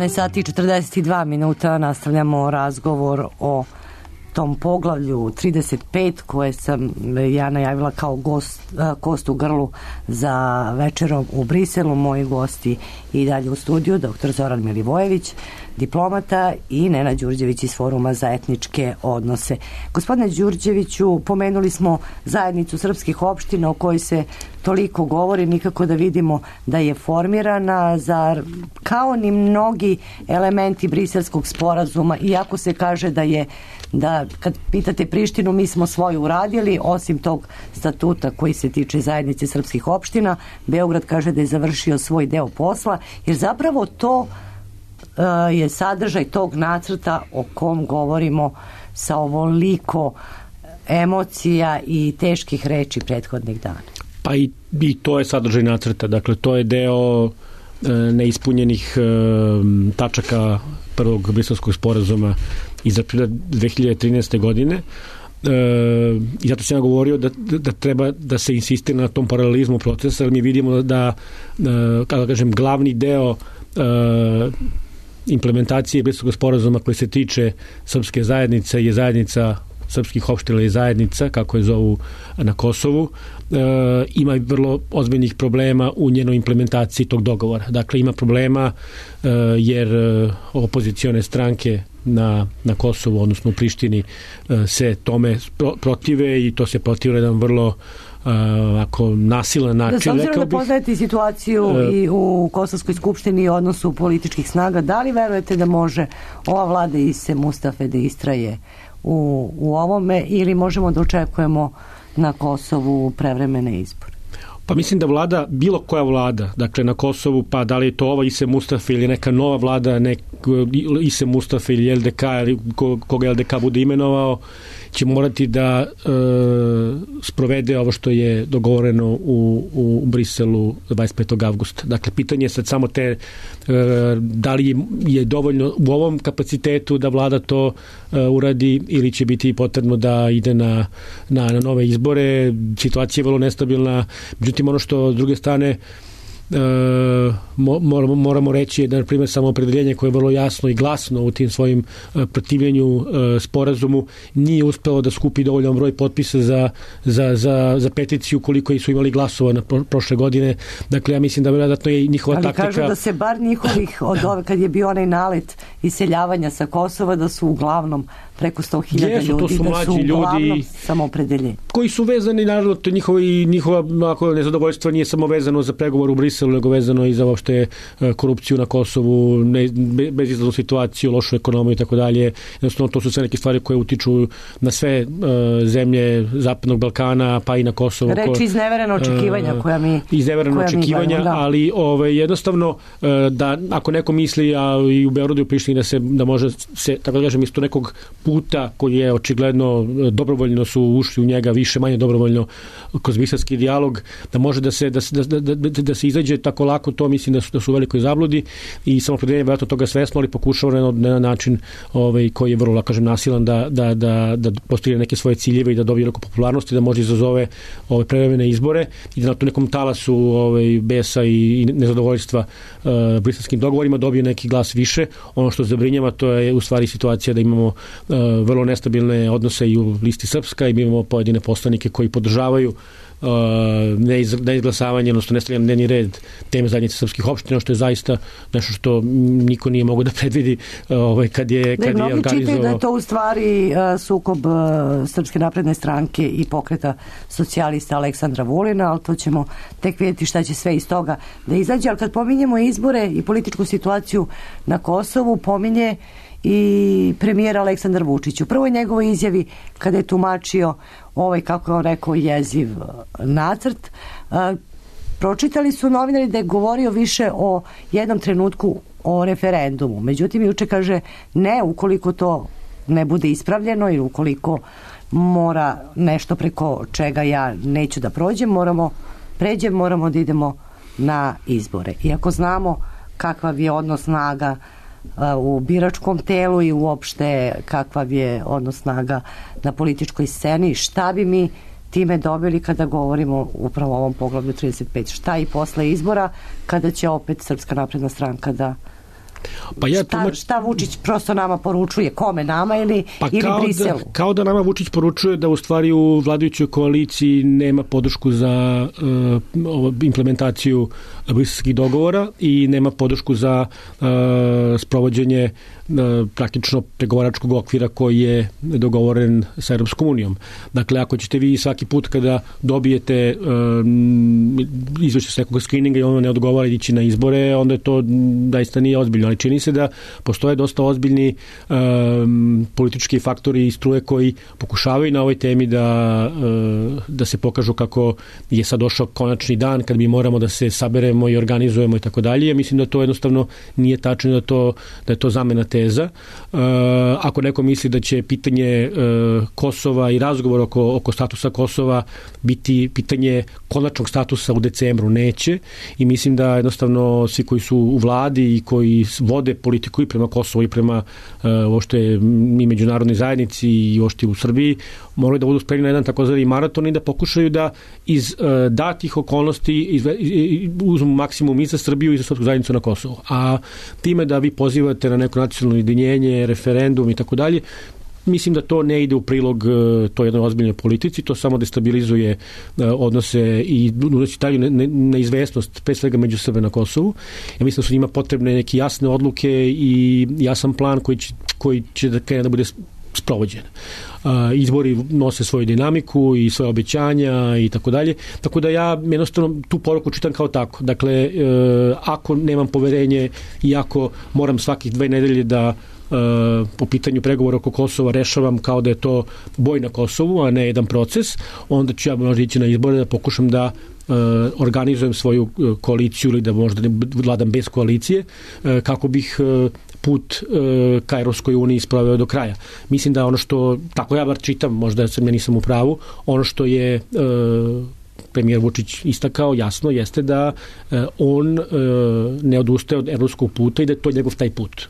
Sati i 42 minuta, nastavljamo razgovor o tom poglavlju 35 koje sam ja najavila kao kost u grlu za večerom u Briselu. Moji gosti i dalje u studiju, dr. Zoran Milivojević, diplomata, i Nenad Đurđević iz Foruma za etničke odnose. Gospodine Đurđeviću, pomenuli smo zajednicu srpskih opština o kojoj se toliko govori, nikako da vidimo da je formirana, kao ni mnogi elementi Briselskog sporazuma, iako se kaže da kad pitate Prištinu, mi smo svoju uradili, osim tog statuta koji se tiče zajednice srpskih opština. Beograd kaže da je završio svoj deo posla, jer zapravo to je sadržaj tog nacrta o kom govorimo sa ovoliko emocija i teških reči prethodnih dana. Pa i to je sadržaj nacrta, dakle to je deo neispunjenih tačaka prvog briselskog sporazuma iz aprila 2013. godine, i zato sam ja govorio da treba da se insistira na tom paralelizmu procesa, jer mi vidimo da kako kažem, glavni deo implementacije briselskog sporazuma koji se tiče srpske zajednice je zajednica srpskih opština i zajednica, kako je zovu na Kosovu, ima vrlo ozbiljnih problema u njenoj implementaciji tog dogovora. Dakle, ima problema jer opozicione stranke na Kosovu, odnosno u Prištini, se tome protive i to se protive jedan vrlo ako nasilan način. S obzirom da poznajete situaciju i u Kosovskoj skupštini i odnosu političkih snaga, da li verujete da može ova vlada Ise Mustafe da istraje u ovome ili možemo da očekujemo na Kosovu prevremene izbore? Pa mislim da vlada, bilo koja vlada, dakle na Kosovu, pa da li je to ova Ise Mustafe ili neka nova vlada, Ise Mustafe ili LDK, ili koga LDK bude imenovao, će morati da sprovede ovo što je dogovoreno u Briselu 25. avgusta. Dakle, pitanje je sad samo da li je dovoljno u ovom kapacitetu da vlada to uradi ili će biti potrebno da ide na nove izbore. Situacija je vrlo nestabilna. Međutim, ono što s druge strane moramo reći da, na primjer, samoopredeljenje koje je vrlo jasno i glasno u tim svojim protivljenju sporazumu nije uspelo da skupi dovoljan broj potpisa za peticiju koliko su imali glasova na prošle godine. Dakle, ja mislim da vjerojatno je njihova taktika... Ali kažu da se bar njihovih kad je bio onaj nalet iseljavanja sa Kosova, da su uglavnom preko 100.000 ljudi, to su da su uglavnom samoopredeljenje. Koji su vezani, naravno, njihova nezadovoljstvo nije samo vezano za pregovor u Briselu, nego vezano i za uopšte korupciju na Kosovu, bezizlaznu situaciju, lošu ekonomiju i tako dalje. Jednostavno, to su sve neke stvari koje utiču na sve zemlje Zapadnog Balkana, pa i na Kosovo. Reči iznevereno očekivanja koja mi očekivanja, ali jednostavno da ako neko misli, a i u Beogradu i u Prištini da može se, tako da kažem, isto nekog puta koji je očigledno dobrovoljno su ušli u njega, više manje dobrovoljno kroz briselski dijalog, da može da se izađe tako lako, to mislim da su u velikoj zabludi i samoopredeljenje vjerojatno toga svesno, ali pokušava na način koji je vrlo, kažem, nasilan da postigne neke svoje ciljeve i da dobije neku popularnost i da može izazove prevremene izbore i da na tu nekom talasu besa i nezadovoljstva briselskim dogovorima dobije neki glas više. Ono što zabrinjava, to je u stvari situacija da imamo vrlo nestabilne odnose i u listi Srpska i imamo pojedine poslanike koji podržavaju neizglasavanje, odnosno nestavljanje dnevni red teme zajednice srpskih opština, što je zaista nešto što niko nije mogao da predvidi kad je organizovao. Čitaju da je to u stvari sukob Srpske napredne stranke i pokreta socijalista Aleksandra Vulina, ali to ćemo tek vidjeti šta će sve iz toga da izađe. Ali kad pominjemo izbore i političku situaciju na Kosovu, pominje i premijer Aleksandar Vučić. U prvoj njegovoj izjavi kada je tumačio kako je on rekao, jeziv nacrt, pročitali su novinari da je govorio više o jednom trenutku o referendumu. Međutim, juče kaže ne, ukoliko to ne bude ispravljeno ili ukoliko mora nešto preko čega ja neću da moramo da idemo na izbore. Iako znamo kakav je odnos snaga u biračkom telu i uopšte kakav je odnos snaga na političkoj sceni, šta bi mi time dobili kada govorimo upravo o ovom poglavlju 35, šta i posle izbora kada će opet Srpska napredna stranka da šta Vučić prosto nama poručuje, kome, nama ili Briselu? Kao da nama Vučić poručuje da u stvari u vladajućoj koaliciji nema podršku za implementaciju briselskih dogovora i nema podršku za sprovođenje praktično pregovaračkog okvira koji je dogovoren sa Europskom unijom. Dakle, ako ćete vi svaki put kada dobijete izvešće s nekog skrininga i ono ne odgovara ići na izbore, onda to daista nije ozbiljno. Ali čini se da postoje dosta ozbiljni politički faktori i struje koji pokušavaju na ovoj temi da se pokažu kako je sad došao konačni dan kad mi moramo da se saberemo i organizujemo i tako dalje. Mislim da to jednostavno nije tačno, da je to zamena teza. Ako neko misli da će pitanje Kosova i razgovor oko statusa Kosova biti pitanje konačnog statusa u decembru, neće. I mislim da jednostavno svi koji su u vladi i koji vode politiku i prema Kosovu i prema uopšte i međunarodnoj zajednici i uopšte u Srbiji moraju da budu spremni na jedan takozvani maraton i da pokušaju da iz datih okolnosti uzmu maksimum i za Srbiju i za srpsku zajednicu na Kosovu. A time da vi pozivate na neko nacionalno ujedinjenje, referendum i tako dalje, mislim da to ne ide u prilog toj jednoj ozbiljnoj politici, to samo destabilizuje odnose i unosi dalju neizvesnost, pre svega među Srbe na Kosovu. Ja mislim da su njima potrebne neke jasne odluke i jasan plan koji će da krene da bude sprovođen. Izbori nose svoju dinamiku i svoje obećanja i tako dalje. Tako da ja jednostavno tu poruku čitam kao tako. Dakle, ako nemam poverenje i ako moram svakih 2 nedelje da po pitanju pregovora oko Kosova rešavam kao da je to boj na Kosovu, a ne jedan proces, onda ću ja možda ići na izbore da pokušam da organizujem svoju koaliciju ili da možda ne vladam bez koalicije, kako bih put ka Evropskoj uniji sproveo do kraja. Mislim da ono što, tako ja bar čitam, možda ja nisam u pravu, ono što je premijer Vučić istakao jasno jeste da on ne odustaje od evropskog puta i da je to njegov taj put.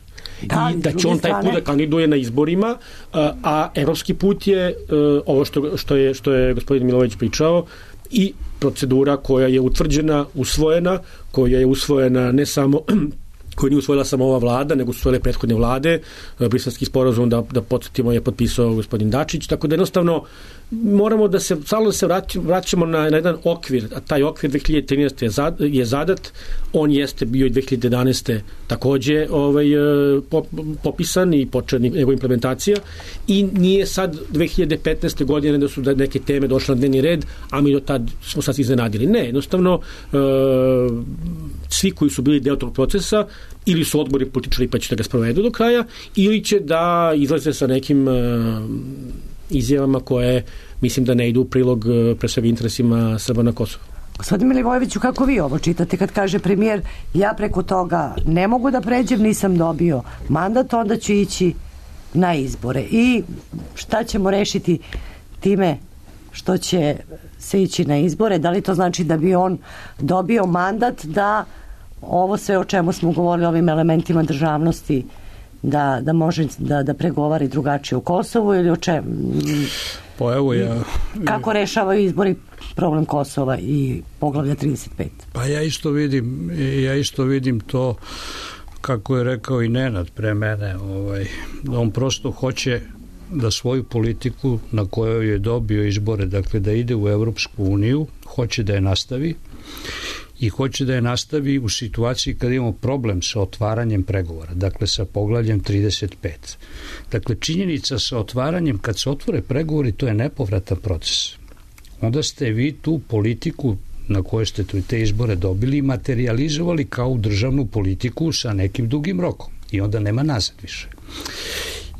I da će on taj put da kandiduje na izborima, a evropski put je ovo što je gospodin Milojević pričao i procedura koja je utvrđena, usvojena, koja je usvojena ne samo koju nije usvojila samo ova vlada, nego su usvojile prethodne vlade. Briselski sporazum, da podsjetimo, je potpisao gospodin Dačić, tako da jednostavno moramo da se vraćamo na jedan okvir, a taj okvir 2013. je zadat, on jeste bio i 2011. takođe popisan i počela njegova implementacija i nije sad 2015. godine da su neke teme došle na dnevni red, a mi do tad smo sad iznenadili. Ne, jednostavno svi koji su bili deo tog procesa ili su odbori političari pa će da ga sprovedu do kraja, ili će da izlaze sa nekim izjavama koje mislim da ne idu u prilog pre svega interesima Srba na Kosovu. Gospodin Milivojeviću, kako vi ovo čitate kad kaže premijer ja preko toga ne mogu da pređem, nisam dobio mandat, onda ću ići na izbore. I šta ćemo rešiti time što će se ići na izbore? Da li to znači da bi on dobio mandat da ovo sve o čemu smo govorili, ovim elementima državnosti, da može da pregovari drugačije u Kosovu ili o čemu? Pa evo kako rešavaju izbori problem Kosova i poglavlja 35? Pa ja isto vidim to kako je rekao i Nenad pre mene, da on prosto hoće da svoju politiku na kojoj je dobio izbore, dakle da ide u Evropsku uniju, hoće da je nastavi i hoće da je nastavi u situaciji kad imamo problem sa otvaranjem pregovora, dakle sa poglavljem 35. Dakle, činjenica sa otvaranjem, kad se otvore pregovori, to je nepovratan proces. Onda ste vi tu politiku na kojoj ste te izbore dobili materializovali kao državnu politiku sa nekim dugim rokom i onda nema nazad više.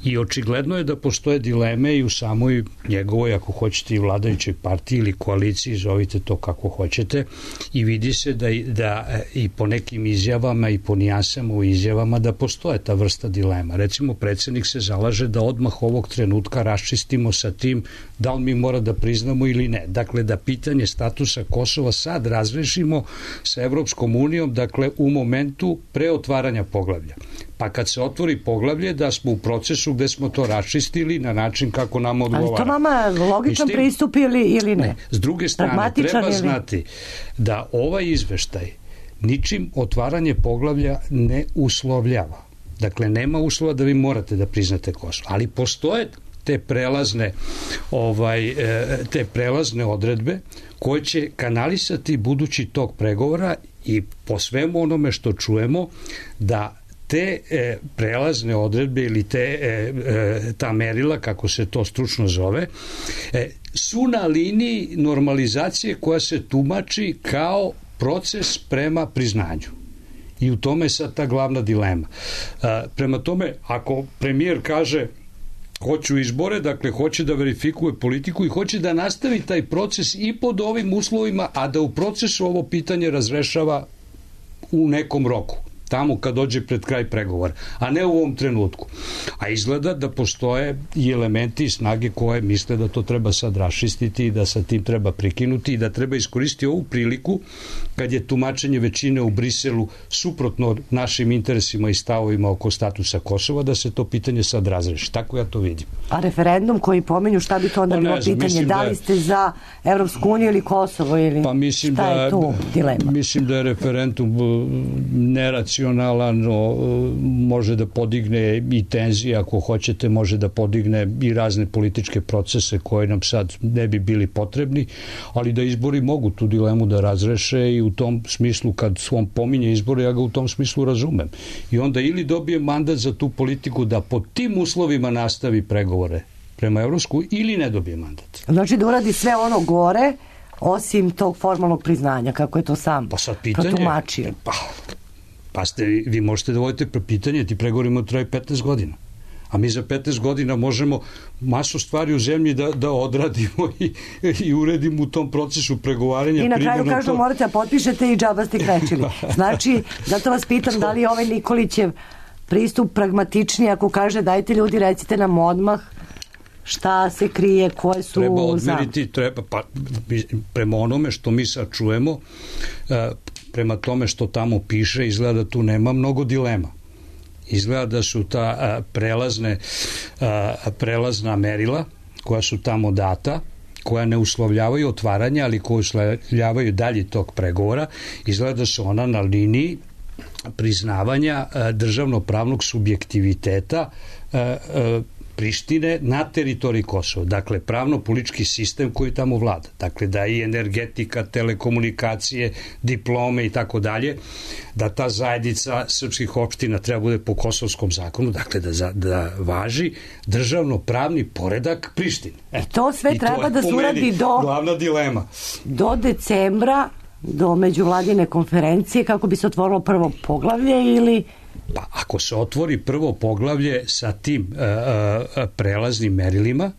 I očigledno je da postoje dileme i u samoj njegovoj, ako hoćete, i vladajućoj partiji ili koaliciji, zovite to kako hoćete, i vidi se da i po nekim izjavama i po nijansama u izjavama da postoje ta vrsta dilema. Recimo, predsjednik se zalaže da odmah ovog trenutka raščistimo sa tim da li mi mora da priznamo ili ne. Dakle, da pitanje statusa Kosova sad razrešimo sa Evropskom unijom, dakle, u momentu preotvaranja poglavlja. Pa kad se otvori poglavlje, da smo u procesu gde smo to raščistili na način kako nam odgovara. Ali to vama logičan pristup ili ne? S druge strane, treba znati da ovaj izveštaj ničim otvaranje poglavlja ne uslovljava. Dakle, nema uslova da vi morate da priznate Kosovo. Ali postoje te prelazne odredbe koje će kanalisati budući tok pregovora i po svemu onome što čujemo da te prelazne odredbe ili ta merila, kako se to stručno zove, su na liniji normalizacije koja se tumači kao proces prema priznanju. I u tome je sad ta glavna dilema. Prema tome, ako premijer kaže hoću izbore, dakle hoće da verifikuje politiku i hoće da nastavi taj proces i pod ovim uslovima, a da u procesu ovo pitanje razrešava u nekom roku, tamo kad dođe pred kraj pregovora, a ne u ovom trenutku. A izgleda da postoje i elementi i snage koje misle da to treba sad raščistiti i da sa tim treba prekinuti i da treba iskoristiti ovu priliku kad je tumačenje većine u Briselu suprotno našim interesima i stavovima oko statusa Kosova, da se to pitanje sad razreši. Tako ja to vidim. A referendum koji pomenju, šta bi to onda bilo pitanje? Da li ste za Evropsku uniju ili Kosovo? Ili šta je tu dilema? Mislim da je referendum neracionalno emocionalan, može da podigne i tenzije, ako hoćete, može da podigne i razne političke procese koje nam sad ne bi bili potrebni, ali da izbori mogu tu dilemu da razreše i u tom smislu, kad on pominje izbore, ja ga u tom smislu razumem. I onda ili dobije mandat za tu politiku da pod tim uslovima nastavi pregovore prema Evropsku ili ne dobije mandat. Znači da uradi sve ono gore, osim tog formalnog priznanja, kako je to sam protumačio. Pa vi možete da vodite pitanje, ti pregovorimo traju 15 godina. A mi za 15 godina možemo masu stvari u zemlji da odradimo i uredimo u tom procesu pregovaranja. I na kraju kažu morate da potpišete i džaba ste krečili. Znači, zato vas pitam da li je ovaj Nikolićev pristup pragmatičniji ako kaže dajte ljudi recite nam odmah šta se krije, koje su... Treba odmeriti, prema onome što mi sad čujemo, prema tome što tamo piše, izgleda da tu nema mnogo dilema. Izgleda da su ta prelazna merila koja su tamo data, koja ne uslovljavaju otvaranje, ali koja uslovljavaju dalje tog pregovora, izgleda da su ona na liniji priznavanja državno-pravnog subjektiviteta Prištine na teritoriji Kosova. Dakle, pravno-politički sistem koji tamo vlada. Dakle, da i energetika, telekomunikacije, diplome i tako dalje, da ta zajednica srpskih opština treba bude po kosovskom zakonu, dakle, da važi državno-pravni poredak Prištine. To sve treba da se uradi glavna dilema. Do decembra, do međuvladine konferencije, kako bi se otvorilo prvo poglavlje ili... Pa ako se otvori prvo poglavlje sa tim prelaznim merilima,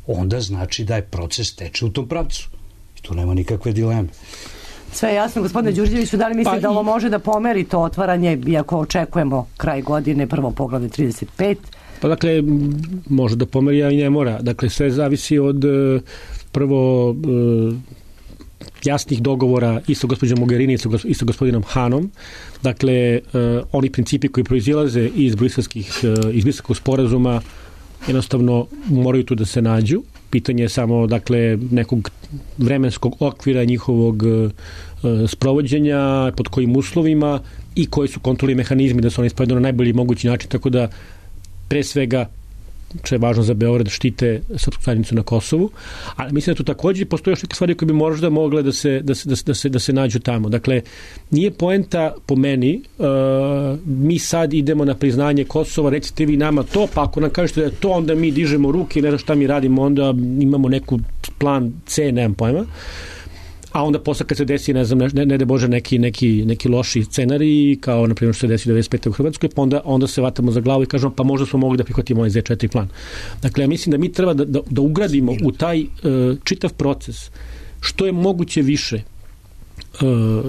onda znači da je proces teče u tom pravcu. I tu nema nikakve dileme. Sve je jasno, gospodine Đurđeviću, da li mislite da ovo može da pomeri to otvaranje, iako očekujemo kraj godine, prvo poglavlje 35? Pa dakle, može da pomeri, a i ne mora. Dakle, sve zavisi od prvo jasnih dogovora i sa gospođom Mogherini i sa gospodinom Hanom. Dakle, oni principi koji proizilaze iz briselskog sporazuma jednostavno moraju tu da se nađu. Pitanje je samo, dakle, nekog vremenskog okvira njihovog sprovođenja, pod kojim uslovima i koji su kontrolni mehanizmi da se oni sprovedu na najbolji mogući način, tako da pre svega što je važno za Beograd, štite srpsku zajednicu na Kosovu, ali mislim da tu takođe postoje još neke stvari koje bi možda mogle da se nađu tamo. Dakle, nije poenta po meni, mi sad idemo na priznanje Kosova, recite vi nama to, pa ako nam kažete da je to, onda mi dižemo ruke i ne znam šta mi radimo, onda imamo neku plan C, nemam pojma. A onda posle kad se desi, ne znam, ne da Bože neki loši scenariji, kao na primjer što se desi 95. u Hrvatskoj, pa onda se vatamo za glavu i kažemo pa možda smo mogli da prihvatimo ovaj Z4 plan. Dakle, ja mislim da mi treba da ugradimo u taj čitav proces što je moguće više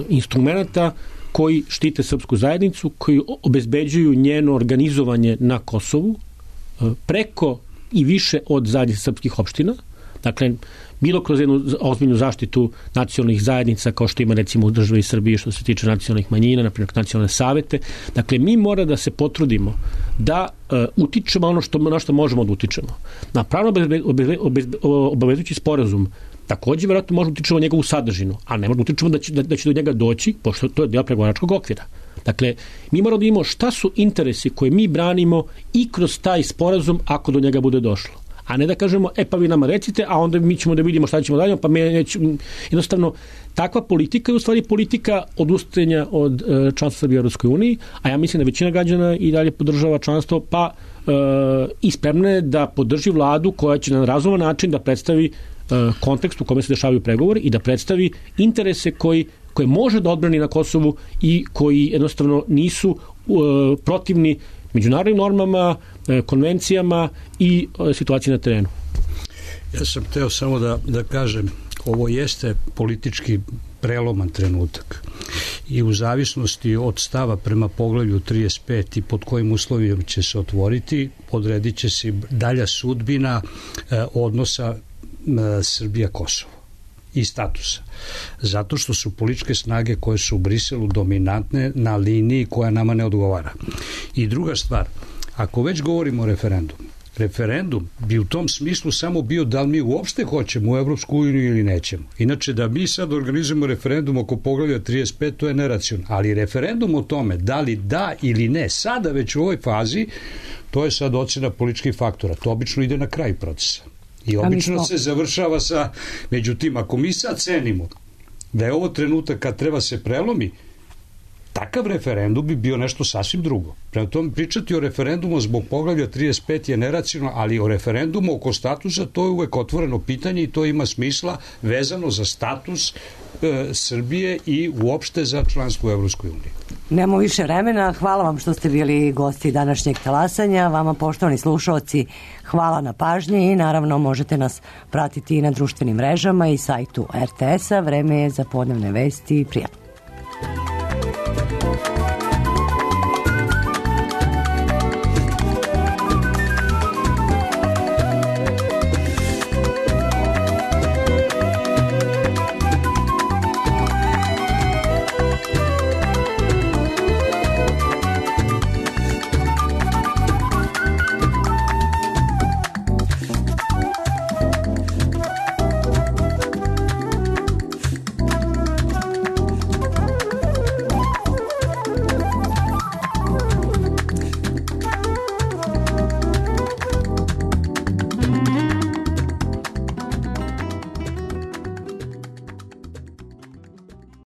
instrumenta koji štite srpsku zajednicu, koji obezbeđuju njeno organizovanje na Kosovu preko i više od zajednice srpskih opština. Dakle, bilo kroz jednu ozbiljnu zaštitu nacionalnih zajednica, kao što ima recimo u državi Srbije što se tiče nacionalnih manjina, na primjer nacionalne savete. Dakle, mi mora da se potrudimo da utičemo ono na što možemo da utičemo. Na pravno obavezujući sporazum takođe vjerojatno možemo da utičemo njegovu sadržinu, ali ne možemo da utičemo da će do njega doći, pošto to je deo pregovaračkog okvira. Dakle, mi moramo da imamo šta su interesi koje mi branimo i kroz taj sporazum ako do njega bude došlo. A ne da kažemo, pa vi nama recite, a onda mi ćemo da vidimo šta ćemo dalje, pa jednostavno, takva politika je u stvari politika odustajanja od članstva Srbije u Evropskoj uniji, a ja mislim da većina građana i dalje podržava članstvo, pa i spremna je da podrži vladu koja će na razuman način da predstavi kontekst u kome se dešavaju pregovori i da predstavi interese koje može da odbrani na Kosovu i koji jednostavno nisu protivni međunarodnim normama, konvencijama i situaciji na terenu. Ja sam hteo samo da kažem, ovo jeste politički preloman trenutak i u zavisnosti od stava prema poglavlju 35 i pod kojim uslovima će se otvoriti, odredit će se dalja sudbina odnosa Srbija-Kosovo i statusa. Zato što su političke snage koje su u Briselu dominantne na liniji koja nama ne odgovara. I druga stvar, ako već govorimo o referendumu, referendum bi u tom smislu samo bio da li mi uopšte hoćemo u Evropsku uniju ili nećemo. Inače, da mi sad organizujemo referendum oko poglavlja 35, to je neracionalno. Ali referendum o tome da li da ili ne, sada već u ovoj fazi, to je sad ocena političkih faktora. To obično ide na kraj procesa. I obično se završava sa, međutim, ako mi sad cenimo da je ovo trenutak kad treba se prelomi, takav referendum bi bio nešto sasvim drugo. Prema tome, pričati o referendumu zbog poglavlja 35 je neracionalno, ali o referendumu oko statusa to je uvek otvoreno pitanje i to ima smisla vezano za status Srbije i uopšte za članstvo u Evropskoj uniji. Nemo više vremena. Hvala vam što ste bili gosti današnjeg talasanja. Vama, poštovani slušaoci, hvala na pažnji i naravno možete nas pratiti i na društvenim mrežama i sajtu RTS-a. Vreme je za podnevne vesti. Prijatno.